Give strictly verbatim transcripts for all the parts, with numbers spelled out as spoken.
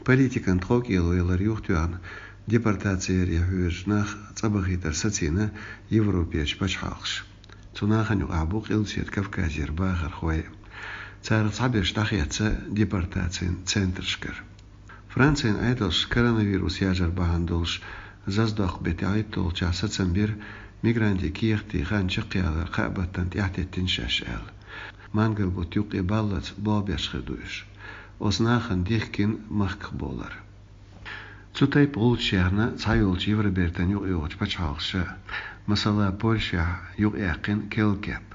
Политикан тховкӀело ялар юхатоьхна, депортаци яре хьоьжучу нах цӀа бахийтар сацийна Европерчу пачхьалкхаша. Цу нахана юкъахь бу Къилбаседа Кавказера бахархой. Царах цхьаберш дӀахецна депортацин центрашкара. Францин Ӏедалша коронавирус яжар бахьана долуш зазадоккху беттан тӀаьхьахӀитталгӀачохь сацам бира, мигрантийн кехатийн хан чекхъялар кхаа баттана тӀаьхьатеттина шаьш аьлла. Мангал-бутт юккъе баллалц болх беш хир ду уьш. Оцу нахана дихкина махках болар. Цу тайпа гӀуллакхаш яьхна цхьайолчу Евробертан юкъайогӀучу пачхьалкхаша, масала, Польшехь юкъаяьккхина керла кеп.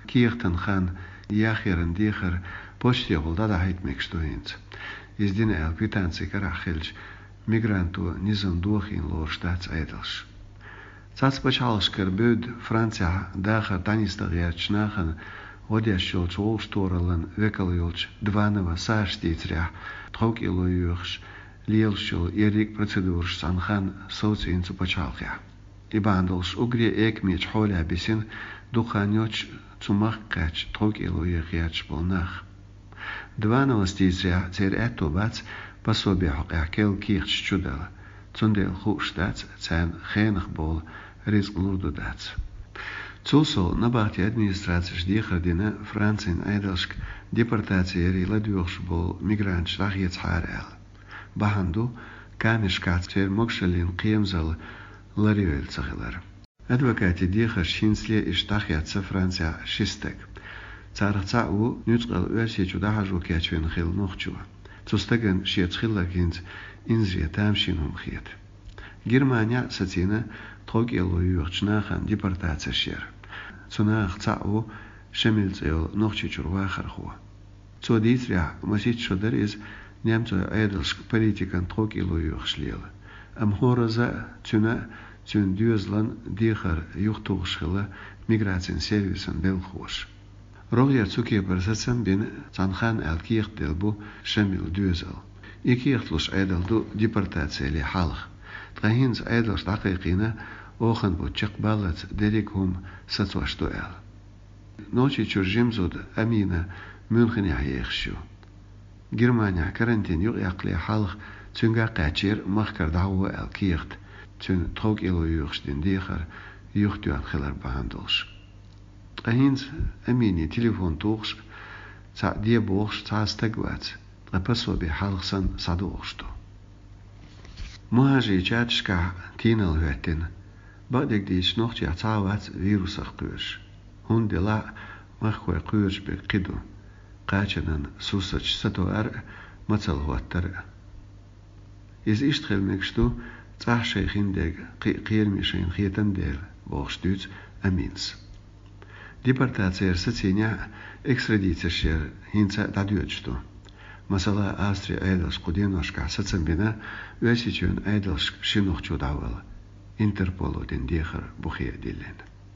Кехатан хан яхъяран дехар почтехула дӀадахьийта мегаш ду хӀинца. Иза дина аьлла квитанци карахь хилча, мигранто низам дохийна лоруш дац Ӏедалша. Цхьацца пачхьалкхашкара бевдда Францехь дахар дӀанисдан гӀертачу нахана гӀо деш йолчу вовшахтохараллин векал йолчу Дванова Сашас дийцарехь, тховкӀело йоьхуш лелаш йолу ерриг а процедураш цхьана ханна совцийна цу пачхьалкхехь. И бахьана долуш уггаре экамечу хьолехь бисина дукха хан йоццуш цу махка кхаьчна тховкӀело еха гӀерташ болу нах. Двановас дийцарехь, церан аьтто бац пособи хьокъехь керла кехаташ чудала, цундела хууш дац царна хенах бовла рицкъ лур ду дац. Цул сов, набахтин администрацеша дехар дина Францин Ӏедалшка депортаци яре ладоьгӀуш болу мигранташ дӀахецахьара аьлла. Бахьана ду камерашкахь церан могушаллин кхерамзалла ларйойла ца хилар. Адвокатийн дехаршца хӀинцале иштта дӀахецна Францехь ши стаг. Царах цхьаъ ву нуьцкъала Оьрсийчу дӀахьажо кечвина хилла нохчо. Цу стагана шеца хилларг хӀинца инзаре тамашийна хӀума хета. Германехь а сацийна тховкӀело йоьхучу нахана депортацеш яр. Цу нахах цхьаъ ву Шамил цӀе йолу Нохчийчуьра вахархо. Цо дийцарехь, масийтта шо дара иза немцойн Ӏедалшка политикан тховкӀело йоьхуш лела. Амма хӀоразза а цуьнан а, цуьнан доьзалан а дехар юхатухуш хилла миграцин сервисан белхалоша. РогӀера цу кепара сацам а бина, цхьана ханна аьлла кехат делла бу Шамилан доьзал. И кехат луш Ӏедал ду депортаци яле хьалха. Ткъа хӀинца Ӏедалша дӀакхайкхийна оханан бутт чекхбаллалц дерриг а хӀума сацош ду аьлла. Нохчийчуьра жима зуда Амина Мюнхенехь ехаш ю. Германехь карантин юкъаяккхале хьалха цуьнга а кхаьчнера махкара дӀагӀо аьлла кехат, цуьнан тховкӀело йоьхуш дина дехар юхатоьхна хилар бахьана долуш. Ткъа хӀинца Амине телефон тухуш, цхьаъ де бохуш цхьа а стаг вац, ткъа пособи хьалха санна схьадогӀуш ду. МухӀажарийн чаташкахь тийналла хӀоьттина. Бакъдерг дийцича, нохчех цхьа а вац вирусах кхоьруш. ХӀунда делахь а, махкахой кхоьруш берг кхин ду: кхачанан сурсаташ сатоар а, мацалла хӀоттар а. Иза иштта хила мегаш ду, цӀахь шайн хиндерг кхин а кхераме шайна хетан дела, бохуш дуьйцу Аминас. Депортаци яр сацийнехь а, экстрадицеш яр хӀинца а дӀадоьдуш ду. Масала, Австрин Ӏедалша кху деношкахь сацам бина Оьрсийчоьнан Ӏедалшка ши нохчо дӀавала, Интерполо дина дехар бухе а диллина.